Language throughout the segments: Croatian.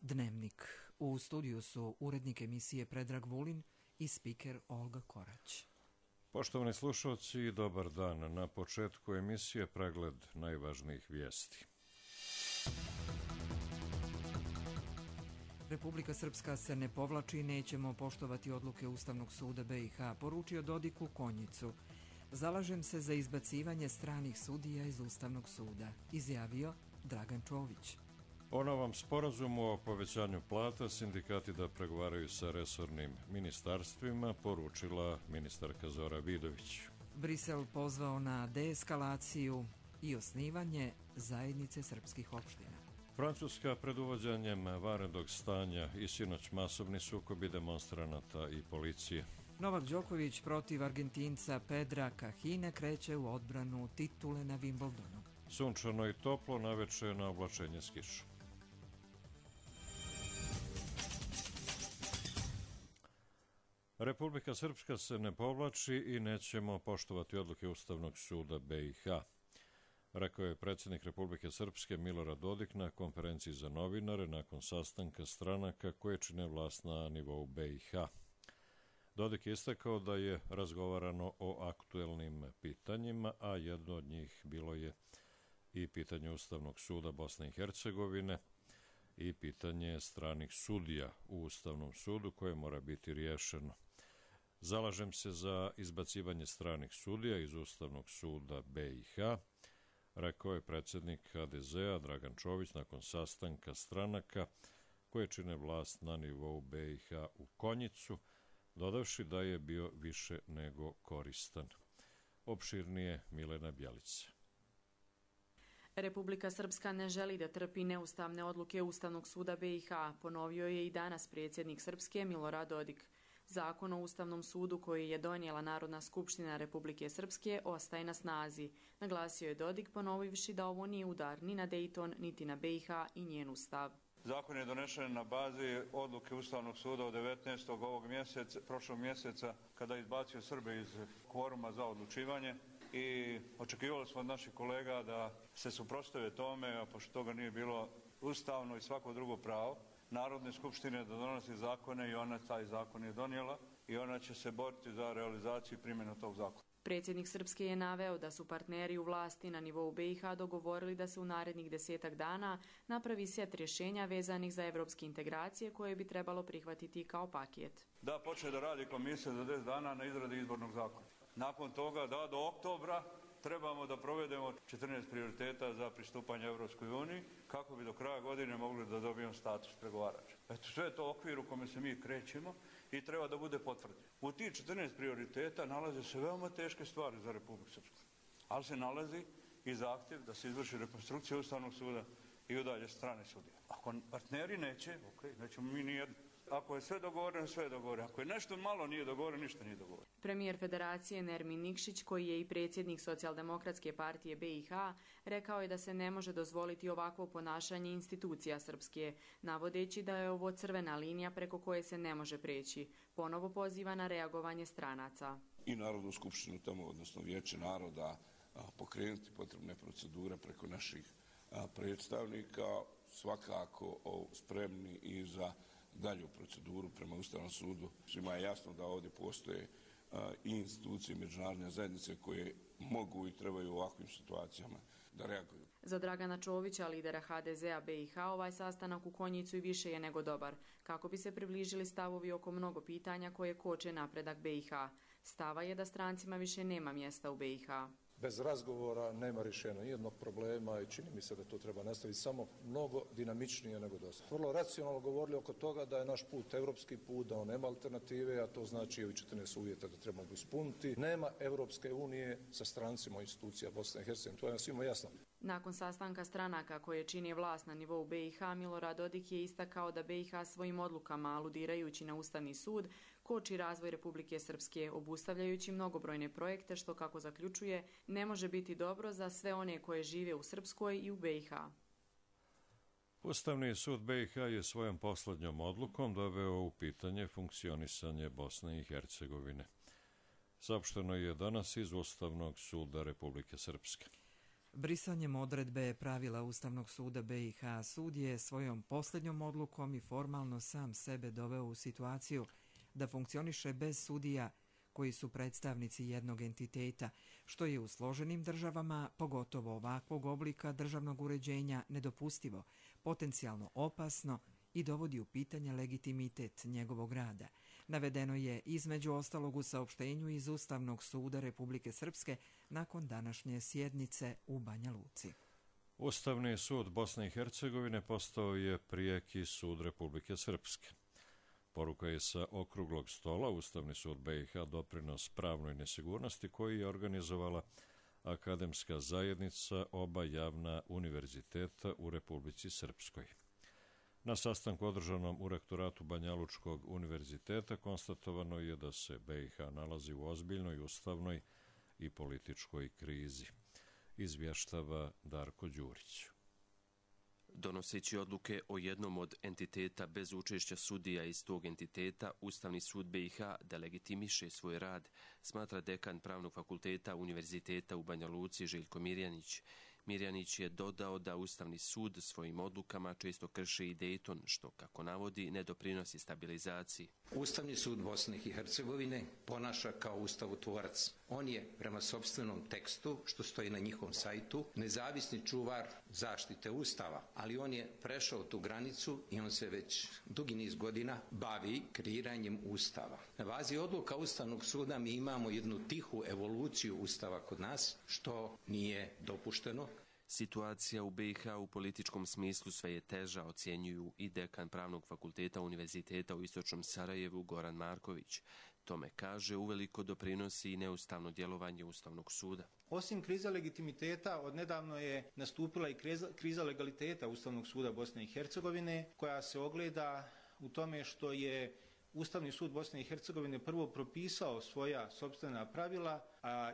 Dnevnik. U studiju su urednik emisije Predrag Vulin i spiker Olga Korać. Poštovani slušalci, dobar dan. Na početku emisije pregled najvažnijih vijesti. Republika Srpska se ne povlači i nećemo poštovati odluke Ustavnog suda BiH, poručio Dodik u Konjicu. Zalažem se za izbacivanje stranih sudija iz Ustavnog suda, izjavio Dragan Čović. O novom sporazumu o povećanju plata sindikati da pregovaraju sa resornim ministarstvima, poručila ministarka Zora Vidović. Brisel pozvao na deeskalaciju i osnivanje zajednice srpskih opština. Francuska pred uvođenjem vanrednog stanja i sinoć masovni sukobi demonstranata i policije. Novak Đoković protiv Argentinca Pedra Kahine kreće u odbranu titule na Wimbledonu. Sunčano i toplo, naveče na oblačenje s kišom. Republika Srpska se ne povlači i nećemo poštovati odluke Ustavnog suda BiH, rekao je predsjednik Republike Srpske Milorad Dodik na konferenciji za novinare nakon sastanka stranaka koje čine vlast na nivou BiH. Dodik je istakao da je razgovarano o aktuelnim pitanjima, a jedno od njih bilo je i pitanje Ustavnog suda Bosne i Hercegovine i pitanje stranih sudija u Ustavnom sudu koje mora biti riješeno. Zalažem se za izbacivanje stranih sudija iz Ustavnog suda BiH, rekao je predsjednik HDZ-a Dragan Čović nakon sastanka stranaka koje čine vlast na nivou BiH u Konjicu, dodavši da je bio više nego koristan. Opširnije Milena Bjelica. Republika Srpska ne želi da trpi neustavne odluke Ustavnog suda BiH, ponovio je i danas predsjednik Srpske Milorad Dodik. Zakon o Ustavnom sudu koji je donijela Narodna skupština Republike Srpske ostaje na snazi, naglasio je Dodik ponovivši da ovo nije udar ni na Dejton, niti na BiH i njen ustav. Zakon je donešen na bazi odluke Ustavnog suda od 19. prošlog mjeseca, kada je izbacio Srbe iz kvoruma za odlučivanje i očekivali smo od naših kolega da se suprotstave tome, a pošto toga nije bilo ustavno i svako drugo pravo Narodne skupštine da donosi zakone i ona taj zakon je donijela i ona će se boriti za realizaciju i primjenu tog zakona. Predsjednik Srpske je naveo da su partneri u vlasti na nivou BiH dogovorili da se u narednih 10 dana napravi set rješenja vezanih za evropske integracije koje bi trebalo prihvatiti kao paket. Da počne da radi komisija za 10 dana na izradi izbornog zakona. Nakon toga da do oktobra trebamo da provedemo 14 prioriteta za pristupanje Evropskoj uniji kako bi do kraja godine mogli da dobijemo status pregovarača. Eto, sve je to okvir u kome se mi krećemo i treba da bude potvrđeno. U tih 14 prioriteta nalaze se veoma teške stvari za Republiku Srpsku, ali se nalazi i zahtjev da se izvrši rekonstrukcija Ustavnog suda i udalje strane sudije. Ako partneri neće, nećemo mi nijedno. Ako je sve dogovoreno, sve je dogovoreno. Ako je nešto malo nije dogovoreno, ništa nije dogovoreno. Premijer Federacije Nermin Nikšić, koji je i predsjednik Socijaldemokratske partije BiH, rekao je da se ne može dozvoliti ovakvo ponašanje institucija Srpske, navodeći da je ovo crvena linija preko koje se ne može preći. Ponovo poziva na reagovanje stranaca. I Narodnu skupštinu tamo, odnosno Vijeće naroda, pokrenuti potrebne procedure preko naših predstavnika, svakako spremni i za dalju proceduru prema Ustavnom sudu. Svima je jasno da ovdje postoje i institucije međunarodne zajednice koje mogu i trebaju u ovakvim situacijama da reaguju. Za Dragana Čovića, lidera HDZ-a BiH, ovaj sastanak u Konjicu i više je nego dobar, kako bi se približili stavovi oko mnogo pitanja koje koče napredak BiH. Stava je da strancima više nema mjesta u BiH. Bez razgovora nema rješenja nijednog problema i čini mi se da to treba nastaviti samo mnogo dinamičnije nego do sada. Vrlo racionalno govorili oko toga da je naš put evropski put, da on nema alternative, a to znači i 14 uvjeta da trebamo ispuniti. Nema Evropske unije sa strancima institucija Bosne i Hercegovine, to je svima jasno. Nakon sastanka stranaka koje čini vlast na nivou BiH, Milorad Dodik je istakao da BiH svojim odlukama, aludirajući na Ustavni sud, koči razvoj Republike Srpske, obustavljajući mnogobrojne projekte, što, kako zaključuje, ne može biti dobro za sve one koje žive u Srpskoj i u BiH. Ustavni sud BiH je svojom posljednjom odlukom doveo u pitanje funkcionisanje Bosne i Hercegovine. Saopšteno je danas iz Ustavnog suda Republike Srpske. Brisanjem odredbe pravila Ustavnog suda BiH sud je svojom posljednjom odlukom i formalno sam sebe doveo u situaciju da funkcioniše bez sudija koji su predstavnici jednog entiteta, što je u složenim državama, pogotovo ovakvog oblika državnog uređenja, nedopustivo, potencijalno opasno i dovodi u pitanje legitimitet njegovog rada. Navedeno je između ostalog u saopštenju iz Ustavnog suda Republike Srpske nakon današnje sjednice u Banja Luci. Ustavni sud Bosne i Hercegovine postao je prijeki sud Republike Srpske. Poruka je sa okruglog stola Ustavni sud BiH doprinos pravnoj nesigurnosti koji je organizovala akademska zajednica oba javna univerziteta u Republici Srpskoj. Na sastanku održanom u rektoratu Banjalučkog univerziteta konstatovano je da se BiH nalazi u ozbiljnoj ustavnoj i političkoj krizi, izvještava Darko Đurić. Donoseći odluke o jednom od entiteta bez učešća sudija iz tog entiteta, Ustavni sud BiH delegitimiše svoj rad, smatra dekan Pravnog fakulteta Univerziteta u Banja Luci Željko Mirjanić. Mirjanić je dodao da Ustavni sud svojim odlukama često krši i Dejton, što, kako navodi, ne doprinosi stabilizaciji. Ustavni sud Bosne i Hercegovine ponaša kao ustavotvorac. On je, prema sopstvenom tekstu, što stoji na njihovom sajtu, nezavisni čuvar zaštite Ustava, ali on je prešao tu granicu i on se već dugi niz godina bavi kreiranjem Ustava. Na bazi odluka Ustavnog suda mi imamo jednu tihu evoluciju Ustava kod nas, što nije dopušteno. Situacija u BiH u političkom smislu sve je teža, ocjenjuju i dekan Pravnog fakulteta Univerziteta u Istočnom Sarajevu Goran Marković. Tome kaže uveliko doprinosi i neustavno djelovanje Ustavnog suda. Osim kriza legitimiteta, odnedavno je nastupila i kriza legaliteta Ustavnog suda Bosne i Hercegovine, koja se ogleda u tome što je Ustavni sud Bosne i Hercegovine prvo propisao svoja sopstvena pravila,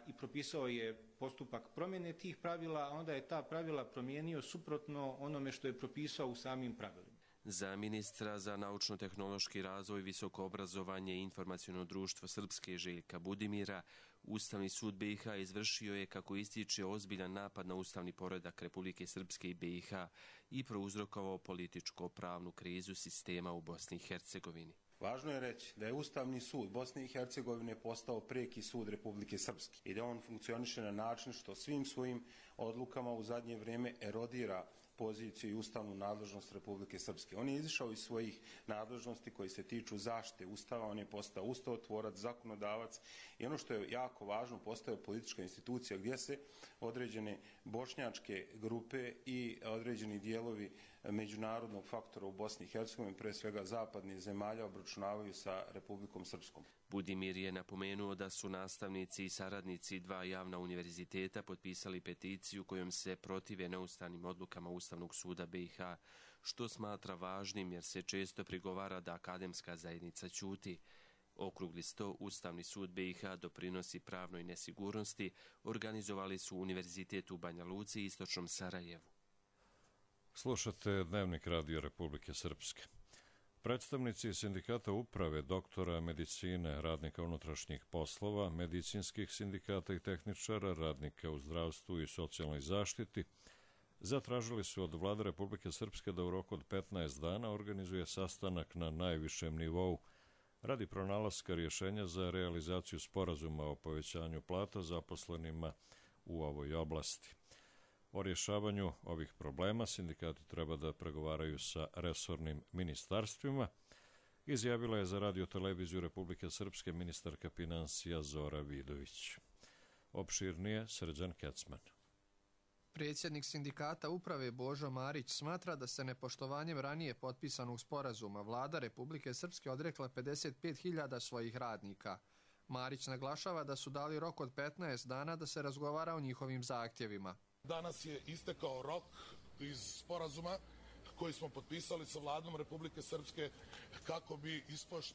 i propisao je postupak promjene tih pravila, a onda je ta pravila promijenio suprotno onome što je propisao u samim pravilima. Za ministra za naučno-tehnološki razvoj, visoko obrazovanje i informaciono društvo Srpske Željka Budimira, Ustavni sud BiH izvršio je, kako ističe, ozbiljan napad na ustavni poredak Republike Srpske i BiH i prouzrokovao političko-pravnu krizu sistema u Bosni i Hercegovini. Važno je reći da je Ustavni sud Bosne i Hercegovine postao prijeki sud Republike Srpske i da on funkcioniše na način što svim svojim odlukama u zadnje vrijeme erodira poziciju i ustavnu nadležnost Republike Srpske. On je izišao iz svojih nadležnosti koji se tiču zaštite Ustava, on je postao ustavotvorac, zakonodavac i ono što je jako važno, postao politička institucija gdje se određene bošnjačke grupe i određeni dijelovi međunarodnog faktora u Bosni i Hercegovini, pre svega zapadnih zemalja, obračunavaju sa Republikom Srpskom. Budimir je napomenuo da su nastavnici i saradnici dva javna univerziteta potpisali peticiju kojom se protive neustavnim odlukama Ustavnog suda BiH, što smatra važnim jer se često prigovara da akademska zajednica ćuti. Okrugli sto Ustavni sud BiH doprinosi pravnoj nesigurnosti organizovali su Univerzitet u Banja Luci i Istočnom Sarajevu. Slušate Dnevnik Radio Republike Srpske. Predstavnici sindikata uprave, doktora medicine, radnika unutrašnjih poslova, medicinskih sindikata i tehničara, radnika u zdravstvu i socijalnoj zaštiti zatražili su od Vlade Republike Srpske da u roku od 15 dana organizuje sastanak na najvišem nivou radi pronalaska rješenja za realizaciju sporazuma o povećanju plata zaposlenima u ovoj oblasti. O rješavanju ovih problema sindikati treba da pregovaraju sa resornim ministarstvima, izjavila je za Radio-televiziju Republike Srpske ministarka finansija Zora Vidović. Opširnije Srđan Kecman. Predsjednik sindikata uprave Božo Marić smatra da se nepoštovanjem ranije potpisanog sporazuma Vlada Republike Srpske odrekla 55.000 svojih radnika. Marić naglašava da su dali rok od 15 dana da se razgovara o njihovim zahtjevima. Danas je istekao rok iz sporazuma koji smo potpisali sa Vladom Republike Srpske kako bi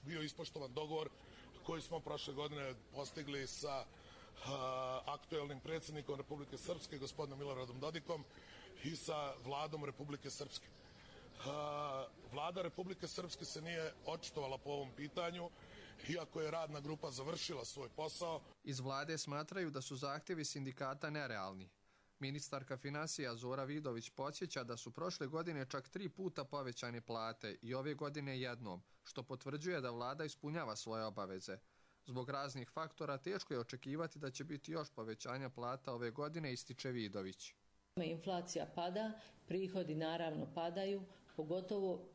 bio ispoštovan dogovor koji smo prošle godine postigli sa aktuelnim predsjednikom Republike Srpske, gospodinom Miloradom Dodikom, i sa Vladom Republike Srpske. Vlada Republike Srpske se nije očitovala po ovom pitanju, iako je radna grupa završila svoj posao. Iz Vlade smatraju da su zahtjevi sindikata nerealni. Ministarka financija Zora Vidović podsjeća da su prošle godine čak 3 puta povećane plate i ove godine jednom, što potvrđuje da vlada ispunjava svoje obaveze. Zbog raznih faktora teško je očekivati da će biti još povećanja plata ove godine, ističe Vidović. Inflacija pada, prihodi naravno padaju, pogotovo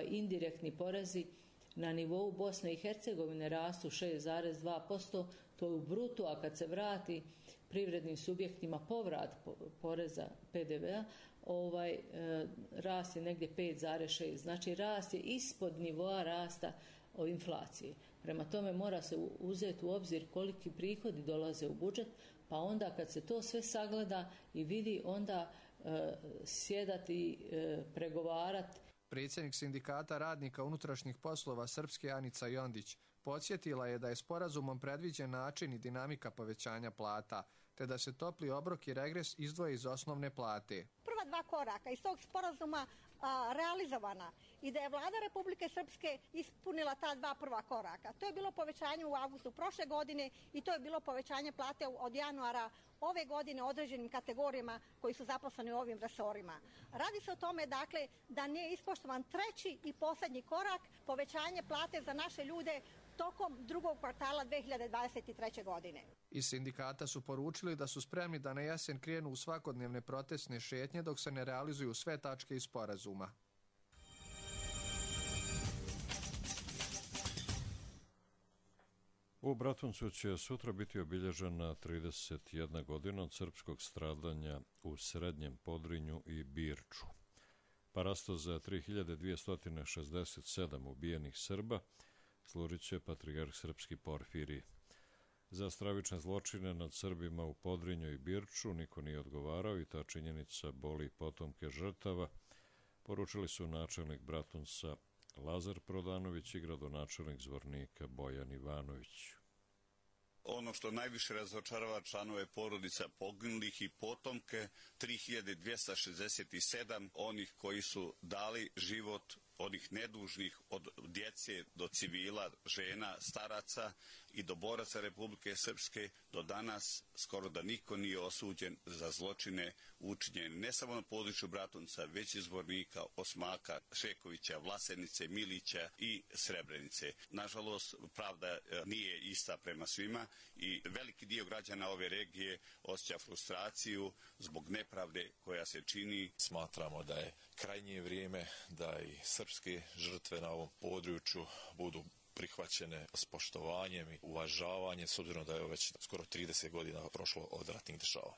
indirektni porezi na nivou Bosne i Hercegovine rastu 6,2%, to je u brutu, a kad se vrati privrednim subjektima povrat poreza PDV-a, rast je negdje 5,6%. Znači rast je ispod nivoa rasta inflacije. Prema tome mora se uzeti u obzir koliki prihodi dolaze u budžet, pa onda kad se to sve sagleda i vidi, onda sjedati, pregovarati. Predsjednik Sindikata radnika unutrašnjih poslova Srpske Anica Jondić podsjetila je da je sporazumom predviđen način i dinamika povećanja plata, te da se topli obrok i regres izdvoje iz osnovne plate. Prva 2 koraka iz tog sporazuma realizovana i da je vlada Republike Srpske ispunila ta 2 prva koraka. To je bilo povećanje u avgustu prošle godine i to je bilo povećanje plate od januara ove godine određenim kategorijama koji su zaposleni u ovim resorima. Radi se o tome, dakle, da nije ispoštovan 3. i posljednji korak, povećanje plate za naše ljude tokom 2. kvartala 2023. godine. Iz sindikata su poručili da su spremni da na jesen krenu u svakodnevne protestne šetnje dok se ne realizuju sve tačke iz sporazuma. U Bratuncu će sutra biti obilježena 31 godina od srpskog stradanja u Srednjem Podrinju i Birču. Parasto za 3267 ubijenih Srba služit će patrijarh srpski Porfirije. Za stravične zločine nad Srbima u Podrinju i Birču niko nije odgovarao i ta činjenica boli potomke žrtava, poručili su načelnik Bratunca Lazar Prodanović i gradonačelnik Zvornika Bojan Ivanović. Ono što najviše razočarava članove porodica poginulih i potomke, 3267 onih koji su dali život, onih nedužnih, od djece do civila, žena, staraca i do boraca Republike Srpske, do danas skoro da niko nije osuđen za zločine učinjene ne samo na području Bratunca, već i Zvornika, Osmaka, Šekovića, Vlasenice, Milića i Srebrenice. Nažalost, pravda nije ista prema svima i veliki dio građana ove regije osjeća frustraciju zbog nepravde koja se čini. Smatramo da je krajnje vrijeme da i srpske žrtve na ovom području budu prihvaćene s poštovanjem i uvažavanjem, s obzirom da je već skoro 30 godina prošlo od ratnih dešavanja.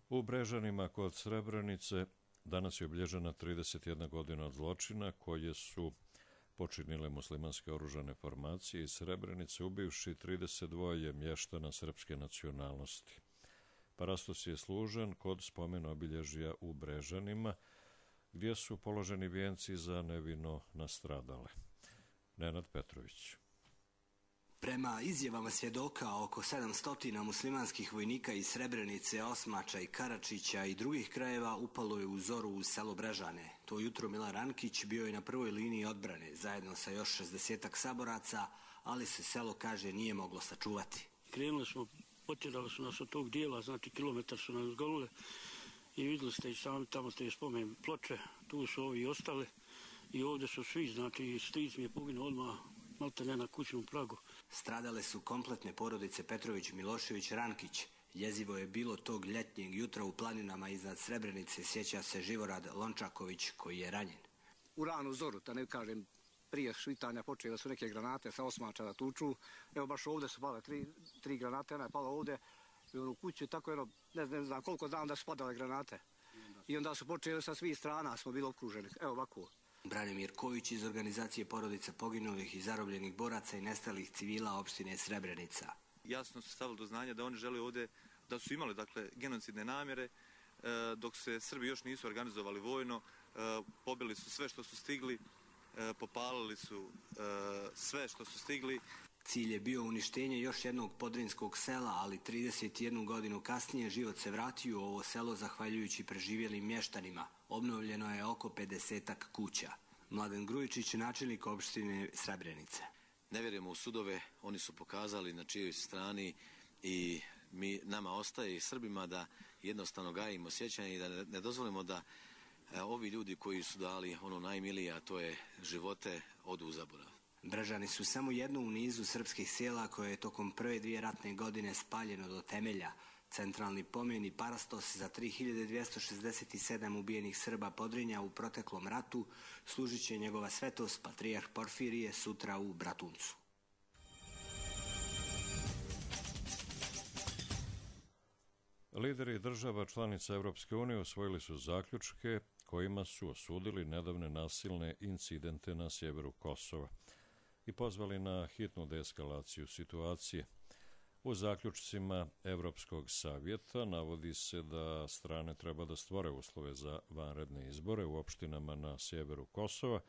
U Brežanima kod Srebrenice danas je obilježena 31 godina od zločina koje su počinile muslimanske oružane formacije iz Srebrenice, ubivši 32 mještana srpske nacionalnosti. Parastos je služen kod spomen obilježja u Brežanima, gdje su položeni vijenci za nevino nastradale. Nenad Petrović. Prema izjavama svjedoka, oko 700 muslimanskih vojnika iz Srebrenice, Osmača i Karačića i drugih krajeva upalo je u zoru u selo Brežane. To jutro Milan Rankić bio je na prvoj liniji odbrane, zajedno sa još 60-ak saboraca, ali se selo, kaže, nije moglo sačuvati. Krenuli smo, potjerali su nas od tog dijela, znači kilometar su nas golule i vidjeli ste i sami tamo te spomen ploče, tu su ovi ostali i ovdje su svi, znači stric mi je poginuo odmah malte ne na kućnom pragu. Stradale su kompletne porodice Petrović, Milošević, Rankić. Jezivo je bilo tog ljetnjeg jutra u planinama iznad Srebrenice, sjeća se Živorad Lončaković koji je ranjen. U ranu zoru, da ne kažem, prije svitanja počele su neke granate sa Osmača da tuču. Evo baš ovdje su pale tri granate, ona je pala ovdje i u kuću, tako ne znam koliko znam da su padale granate. I onda su počeli sa svih strana, smo bili okruženi, evo ovako. Branimir Kojić iz organizacije porodica poginulih i zarobljenih boraca i nestalih civila opštine Srebrenica. Jasno su stavili do znanja da oni žele ovdje, da su imali dakle genocidne namjere, dok se Srbi još nisu organizovali vojno, pobili su sve što su stigli, popalili su sve što su stigli. Cilj je bio uništenje još jednog podrinskog sela, ali 31 godinu kasnije život se vratio u ovo selo zahvaljujući preživjelim mještanima. Obnovljeno je oko 50-ak kuća. Mladen Grujičić, načelnik opštine Srebrenice. Ne vjerujemo u sudove, oni su pokazali na čijoj strani i nama ostaje i Srbima da jednostavno gajimo sjećanje i da ne dozvolimo da ovi ljudi koji su dali ono najmilije, a to je živote, odu u zaborav. Brežani su samo jedno u nizu srpskih sela koje je tokom prve 2 ratne godine spaljeno do temelja. Centralni pomen i parastos za 3267 ubijenih Srba Podrinja u proteklom ratu služit će njegova svetost patrijarh Porfirije sutra u Bratuncu. Lideri država članica Evropske unije usvojili su zaključke kojima su osudili nedavne nasilne incidente na sjeveru Kosova i pozvali na hitnu deeskalaciju situacije. U zaključcima Evropskog savjeta navodi se da strane treba da stvore uslove za vanredne izbore u opštinama na sjeveru Kosova,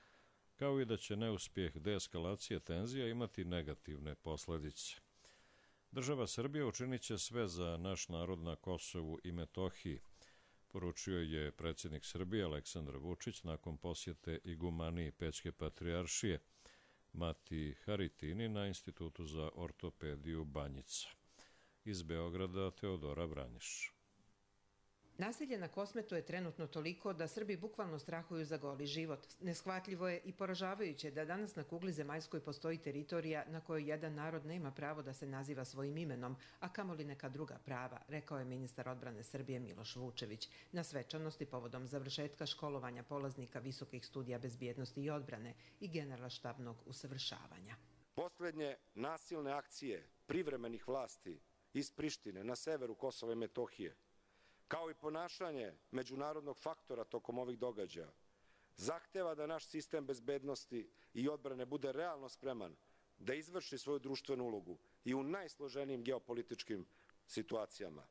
kao i da će neuspjeh deeskalacije tenzija imati negativne posljedice. Država Srbija učinit će sve za naš narod na Kosovu i Metohiji, poručio je predsjednik Srbije Aleksandar Vučić nakon posjete igumaniji Pećke patrijaršije Mati Haritini na Institutu za ortopediju Banjica. Iz Beograda Teodora Vranješ. Nasilje na Kosmetu je trenutno toliko da Srbi bukvalno strahuju za goli život. Neshvatljivo je i poražavajuće da danas na kugli zemaljskoj postoji teritorija na kojoj jedan narod nema pravo da se naziva svojim imenom, a kamoli neka druga prava, rekao je ministar odbrane Srbije Miloš Vučević na svečanosti povodom završetka školovanja polaznika visokih studija bezbjednosti i odbrane i generalštabnog usavršavanja. Posljednje nasilne akcije privremenih vlasti iz Prištine na severu Kosova i Metohije, kao i ponašanje međunarodnog faktora tokom ovih događaja, zahteva da naš sistem bezbednosti i odbrane bude realno spreman da izvrši svoju društvenu ulogu i u najsloženijim geopolitičkim situacijama,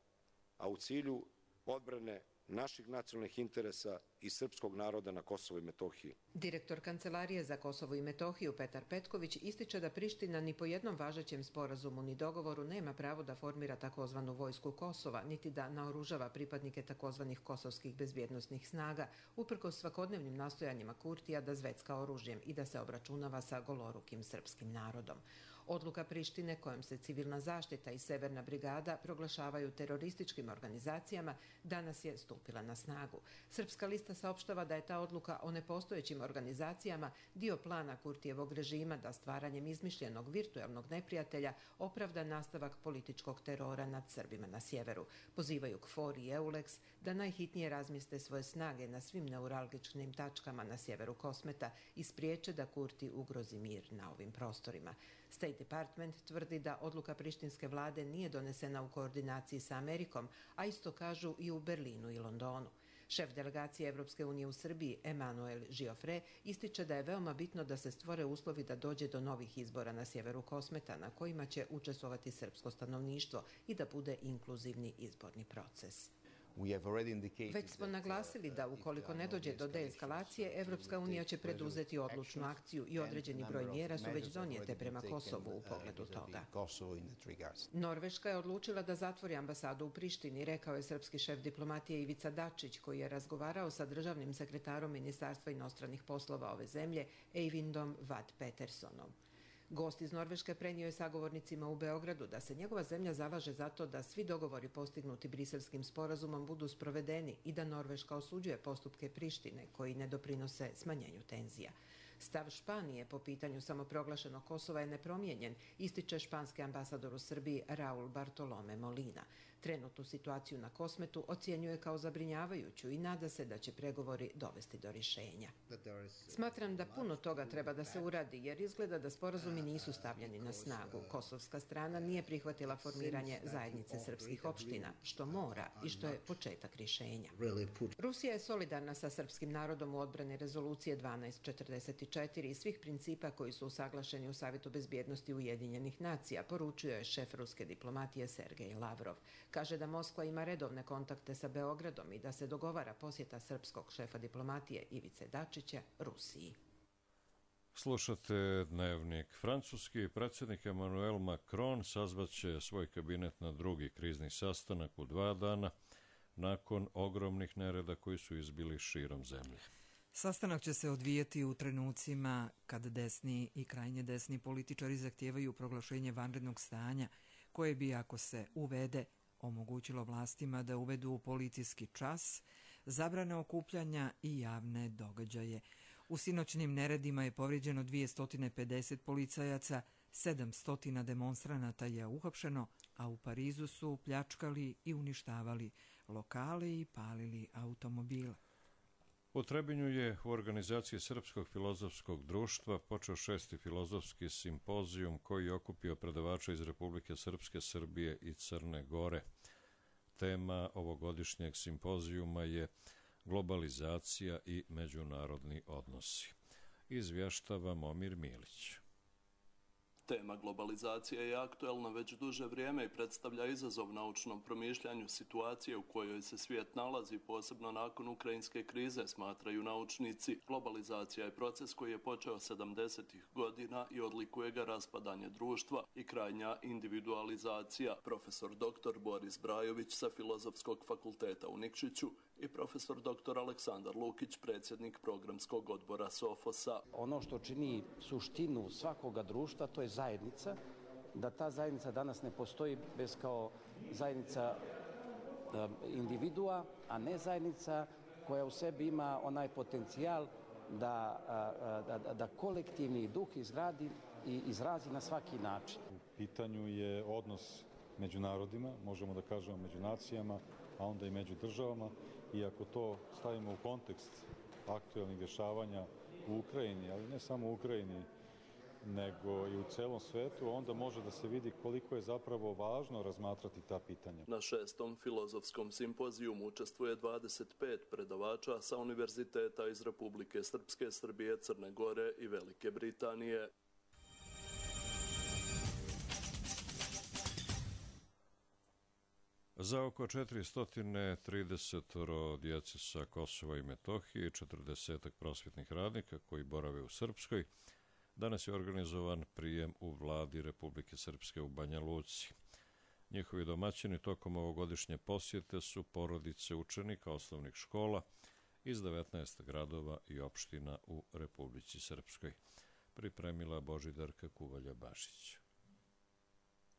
a u cilju odbrane naših nacionalnih interesa i srpskog naroda na Kosovu i Metohiji. Direktor Kancelarije za Kosovo i Metohiju Petar Petković ističe da Priština ni po jednom važećem sporazumu ni dogovoru nema pravo da formira takozvanu vojsku Kosova, niti da naoružava pripadnike takozvanih kosovskih bezbjednosnih snaga, uprkos svakodnevnim nastojanjima Kurtija da zvecka oružjem i da se obračunava sa golorukim srpskim narodom. Odluka Prištine kojom se civilna zaštita i Severna brigada proglašavaju terorističkim organizacijama danas je stupila na snagu. Srpska lista saopštava da je ta odluka o nepostojećim organizacijama dio plana Kurtijevog režima da stvaranjem izmišljenog virtualnog neprijatelja opravda nastavak političkog terora nad Srbima na sjeveru. Pozivaju KFOR i EULEX da najhitnije razmjeste svoje snage na svim neuralgičnim tačkama na sjeveru Kosmeta i spriječe da Kurti ugrozi mir na ovim prostorima. State Department tvrdi da odluka prištinske vlade nije donesena u koordinaciji sa Amerikom, a isto kažu i u Berlinu i Londonu. Šef delegacije Evropske unije u Srbiji, Emanuel Giofre, ističe da je veoma bitno da se stvore uslovi da dođe do novih izbora na sjeveru Kosmeta, na kojima će učestvovati srpsko stanovništvo i da bude inkluzivni izborni proces. Već smo naglasili da ukoliko ne dođe do deeskalacije, Evropska unija će preduzeti odlučnu akciju i određeni broj mjera su već donijete prema Kosovu u pogledu toga. Norveška je odlučila da zatvori ambasadu u Prištini, rekao je srpski šef diplomatije Ivica Dačić, koji je razgovarao sa državnim sekretarom Ministarstva inostranih poslova ove zemlje, Eivindom Vad Petersonom. Gost iz Norveške prenio je sagovornicima u Beogradu da se njegova zemlja zalaže za to da svi dogovori postignuti Briselskim sporazumom budu sprovedeni i da Norveška osuđuje postupke Prištine koji ne doprinose smanjenju tenzija. Stav Španije po pitanju samoproglašenog Kosova je nepromijenjen, ističe španski ambasador u Srbiji Raul Bartolome Molina. Trenutnu situaciju na Kosmetu ocjenjuje kao zabrinjavajuću i nada se da će pregovori dovesti do rješenja. Smatram da puno toga treba da se uradi jer izgleda da sporazumi nisu stavljeni na snagu. Kosovska strana nije prihvatila formiranje zajednice srpskih opština, što mora i što je početak rješenja. Rusija je solidarna sa srpskim narodom u odbrani rezolucije 1244 i svih principa koji su usaglašeni u Savjetu bezbjednosti Ujedinjenih nacija, poručio je šef ruske diplomatije Sergej Lavrov. Kaže da Moskva ima redovne kontakte sa Beogradom i da se dogovara posjeta srpskog šefa diplomatije Ivice Dačića Rusiji. Slušate Dnevnik. Francuski predsjednik Emmanuel Macron sazvaće svoj kabinet na drugi krizni sastanak u 2 dana nakon ogromnih nereda koji su izbili širom zemlje. Sastanak će se odvijeti u trenucima kad desni i krajnje desni političari zahtijevaju proglašenje vanrednog stanja, koje bi, ako se uvede, omogućilo vlastima da uvedu policijski čas, zabrane okupljanja i javne događaje. U sinoćnim neredima je povrijeđeno 250 policajaca, 700 demonstranata je uhapšeno, a u Parizu su pljačkali i uništavali lokale i palili automobile. U Trebinju je u organizaciji Srpskog filozofskog društva počeo 6. filozofski simpozijum koji je okupio predavača iz Republike Srpske, Srbije i Crne Gore. Tema ovogodišnjeg simpozijuma je globalizacija i međunarodni odnosi. Izvještava Momir Milić. Tema globalizacije je aktuelna već duže vrijeme i predstavlja izazov naučnom promišljanju situacije u kojoj se svijet nalazi, posebno nakon ukrajinske krize, smatraju naučnici. Globalizacija je proces koji je počeo 70. godina i odlikuje ga raspadanje društva i krajnja individualizacija. Profesor dr. Boris Brajović sa Filozofskog fakulteta u Nikšiću i profesor dr. Aleksandar Lukić, predsjednik programskog odbora SOFOS-a. Ono što čini suštinu svakoga društva, to je zajednica, da ta zajednica danas ne postoji bez kao zajednica individua, a ne zajednica koja u sebi ima onaj potencijal da kolektivni duh izgradi i izrazi na svaki način. U pitanju je odnos među narodima, možemo da kažemo među nacijama, a onda i među državama. I ako to stavimo u kontekst aktualnih dešavanja u Ukrajini, ali ne samo u Ukrajini, nego i u celom svetu, onda može da se vidi koliko je zapravo važno razmatrati ta pitanja. Na 6. filozofskom simpozijumu učestvuje 25 predavača sa univerziteta iz Republike Srpske, Srbije, Crne Gore i Velike Britanije. Za oko 430 djece sa Kosova i Metohije i 40 prosvjetnih radnika koji borave u Srpskoj, danas je organizovan prijem u vladi Republike Srpske u Banja Luci. Njihovi domaćini tokom ovogodišnje posjete su porodice učenika osnovnih škola iz 19 gradova i opština u Republici Srpskoj. Pripremila Božidarka Kuvalja-Bašić.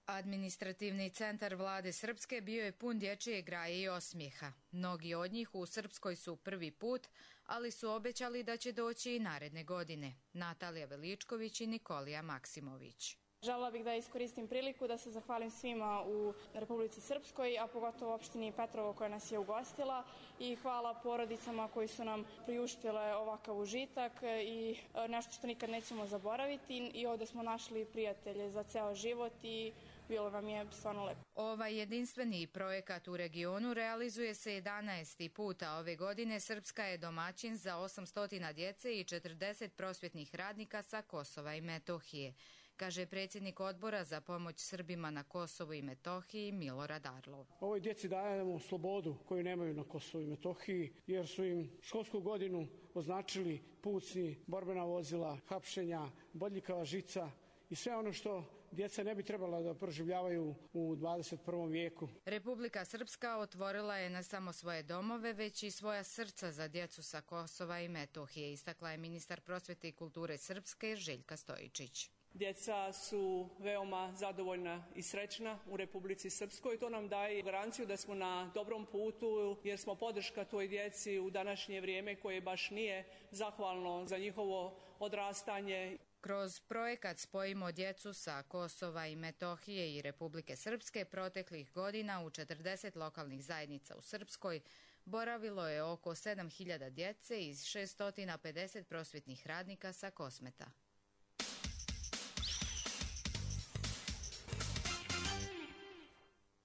Administrativni centar vlade Srpske bio je pun dječje graje i osmijeha. Mnogi od njih u Srpskoj su prvi put, ali su obećali da će doći i naredne godine. Natalija Veličković i Nikolija Maksimović. Želela bih da iskoristim priliku da se zahvalim svima u Republici Srpskoj, a pogotovo opštini Petrovo koja nas je ugostila, i hvala porodicama koji su nam priuštile ovakav užitak i nešto što nikad nećemo zaboraviti. I ovdje smo našli prijatelje za ceo život i bilo nam je stvarno lepo. Ovaj jedinstveni projekat u regionu realizuje se 11. puta ove godine. Srpska je domaćin za 800 djece i 40 prosvjetnih radnika sa Kosova i Metohije, kaže predsjednik odbora za pomoć Srbima na Kosovu i Metohiji Milorad Arlov. Ovoj djeci dajemo slobodu koju nemaju na Kosovu i Metohiji, jer su im školsku godinu označili pucnji, borbena vozila, hapšenja, bodljikava žica i sve ono što djeca ne bi trebala da proživljavaju u 21. vijeku. Republika Srpska otvorila je ne samo svoje domove, već i svoja srca za djecu sa Kosova i Metohije, istakla je ministar prosvjete i kulture Srpske Željka Stojičić. Djeca su veoma zadovoljna i srećna u Republici Srpskoj. To nam daje garanciju da smo na dobrom putu, jer smo podrška toj djeci u današnje vrijeme koje baš nije zahvalno za njihovo odrastanje. Kroz projekat Spojimo djecu sa Kosova i Metohije i Republike Srpske proteklih godina u 40 lokalnih zajednica u Srpskoj boravilo je oko 7.000 djece iz 650 prosvjetnih radnika sa Kosmeta.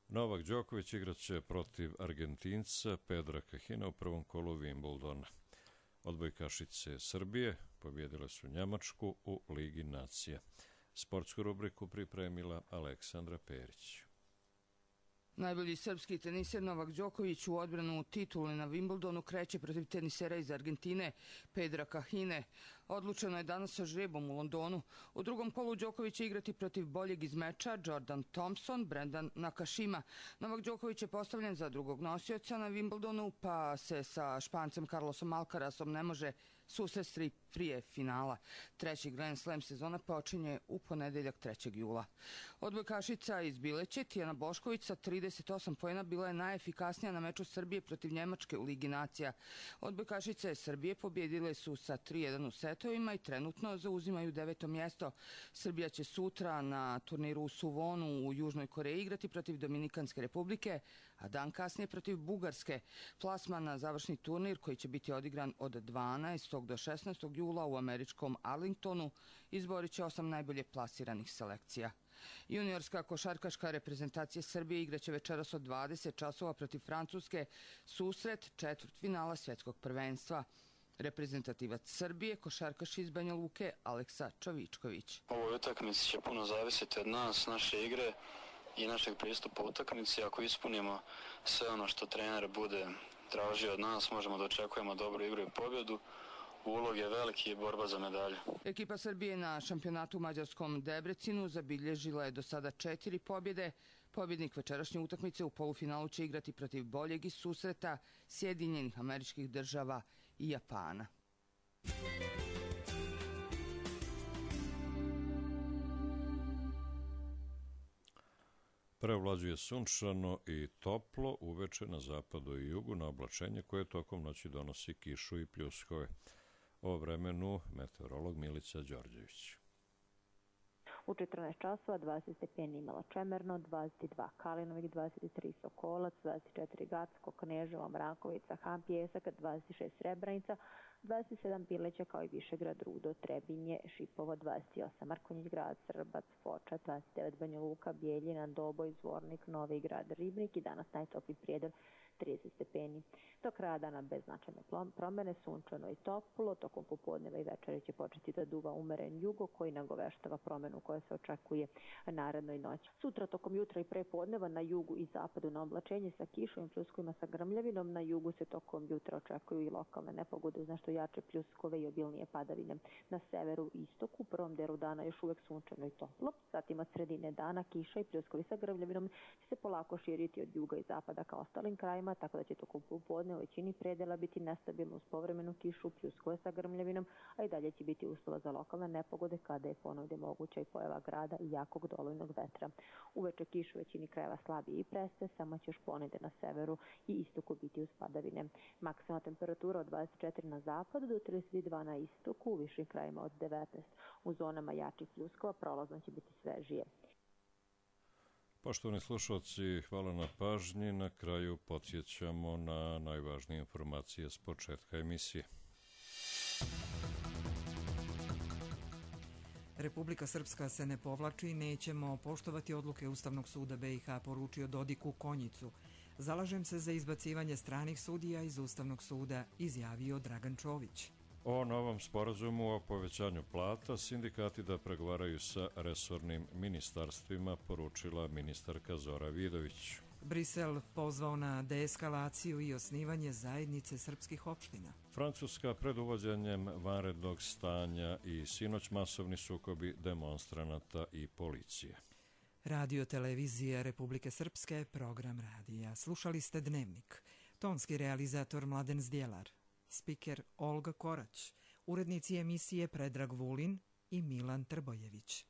Novak Đoković igraće protiv Argentinca Pedra Kahina u prvom kolu Wimbledona. Odbojkašice Srbije pobjedile su Njemačku u Ligi nacija. Sportsku rubriku pripremila Aleksandra Perić. Najbolji srpski teniser Novak Đoković u odbranu titule na Wimbledonu kreće protiv tenisera iz Argentine Pedra Kahine. Odlučeno je danas sa žrebom u Londonu. U drugom kolu Đoković će igrati protiv boljeg iz meča Jordan Thompson, Brendan Nakashima. Novak Đoković je postavljen za drugog nosioca na Wimbledonu, pa se sa Špancem Carlosom Alcarasom ne može Susret prije finala. Treći Grand Slam sezona počinje u ponedeljak 3. jula. Odbojkašica iz Bileće Tijana Bošković sa 38 poena bila je najefikasnija na meču Srbije protiv Njemačke u Ligi nacija. Odbojkašice Srbije pobjedile su sa 3-1 u setovima i trenutno zauzimaju 9. mjesto. Srbija će sutra na turniru u Suvonu u Južnoj Koreji igrati protiv Dominikanske republike, a dan kasnije protiv Bugarske. Plasman na završni turnir koji će biti odigran od 12. do 16. jula u američkom Arlingtonu izborit će 8 najbolje plasiranih selekcija. Juniorska košarkaška reprezentacija Srbije igraće večeras od 20 časova protiv Francuske susret četvrtfinala svjetskog prvenstva. Reprezentativac Srbije, košarkaš iz Banja Luke, Aleksa Čovičković. Ovoj utakmici će puno zavisiti od nas, naše igre i našeg pristupa utakmici. Ako ispunimo sve ono što trener bude tražio od nas, možemo da očekujemo dobru igru i pobjedu. Ulog je veliki i borba za medalju. Ekipa Srbije na šampionatu u mađarskom Debrecinu zabilježila je do sada 4 pobjede. Pobjednik večerašnje utakmice u polufinalu će igrati protiv boljeg iz susreta Sjedinjenih Američkih Država i Japana. Preovlađuje sunčano i toplo, uveče na zapadu i jugu na oblačenje koje tokom noći donosi kišu i pljuskove. O vremenu meteorolog Milica Đorđević. U 14 časova 20 stepeni Imala Čemerno, 22 Kalinovik, 23 Sokolac, 24 Gacko, Kneževo, Mrakovica, Han Pjesak, 26 Srebrenica, 27 Bileća kao i Višegrad, Rudo, Trebinje, Šipovo, 28 Markonjić grad, Srbac, Foča, 29 Banja Luka, Bijeljina, Doboj, Zvornik, Novi grad, Ribnik i danas najtopliji Prijedor 30 stepeni. Do kraja dana bez značajne promjene, sunčano i toplo, tokom popodneva i večeri će početi da duva umeren jugo koji nagoveštava promjenu koja se očekuje narednoj noći. Sutra tokom jutra i prepodneva na jugu i zapadu na oblačenje sa kišom i pljuskovima sa grmljavinom, na jugu se tokom jutra očekuju i lokalne nepogode uz nešto jače pljuskove i obilnije padavine. Na severu i istoku u prvom delu dana još uvek sunčano i toplo, zatim od sredine dana kiša i pljuskovi sa grmljavinom će se polako širiti od juga i zapada ka ostalim krajima, tako da će tokom popodne u većini predela biti nestabilno uz povremenu kišu, pljuskove sa grmljavinom, a i dalje će biti uslova za lokalne nepogode kada je ponovno moguća i pojava grada i jakog dolojnog vetra. Uveče kiš u većini krajeva slabije i preste, samo će još ponede na severu i istoku biti uz padavine. Maksimalna temperatura od 24 na zapadu do 32 na istoku, u višim krajima od 19. U zonama jačih pljuskova prolazno će biti svežije. Poštovani slušalci, hvala na pažnji. Na kraju podsjećamo na najvažnije informacije s početka emisije. Republika Srpska se ne povlači i nećemo poštovati odluke Ustavnog suda BiH, poručio Dodiku Konjicu. Zalažem se za izbacivanje stranih sudija iz Ustavnog suda, izjavio Dragan Čović. O novom sporazumu o povećanju plata sindikati da pregovaraju sa resornim ministarstvima, poručila ministarka Zora Vidović. Brisel pozvao na deeskalaciju i osnivanje zajednice srpskih opština. Francuska pred uvođenjem vanrednog stanja i sinoć masovni sukobi demonstranata i policije. Radio televizija Republike Srpske, program radija. Slušali ste Dnevnik. Tonski realizator Mladen Zdjelar. Spiker Olga Korać. Urednici emisije Predrag Vulin i Milan Trbojević.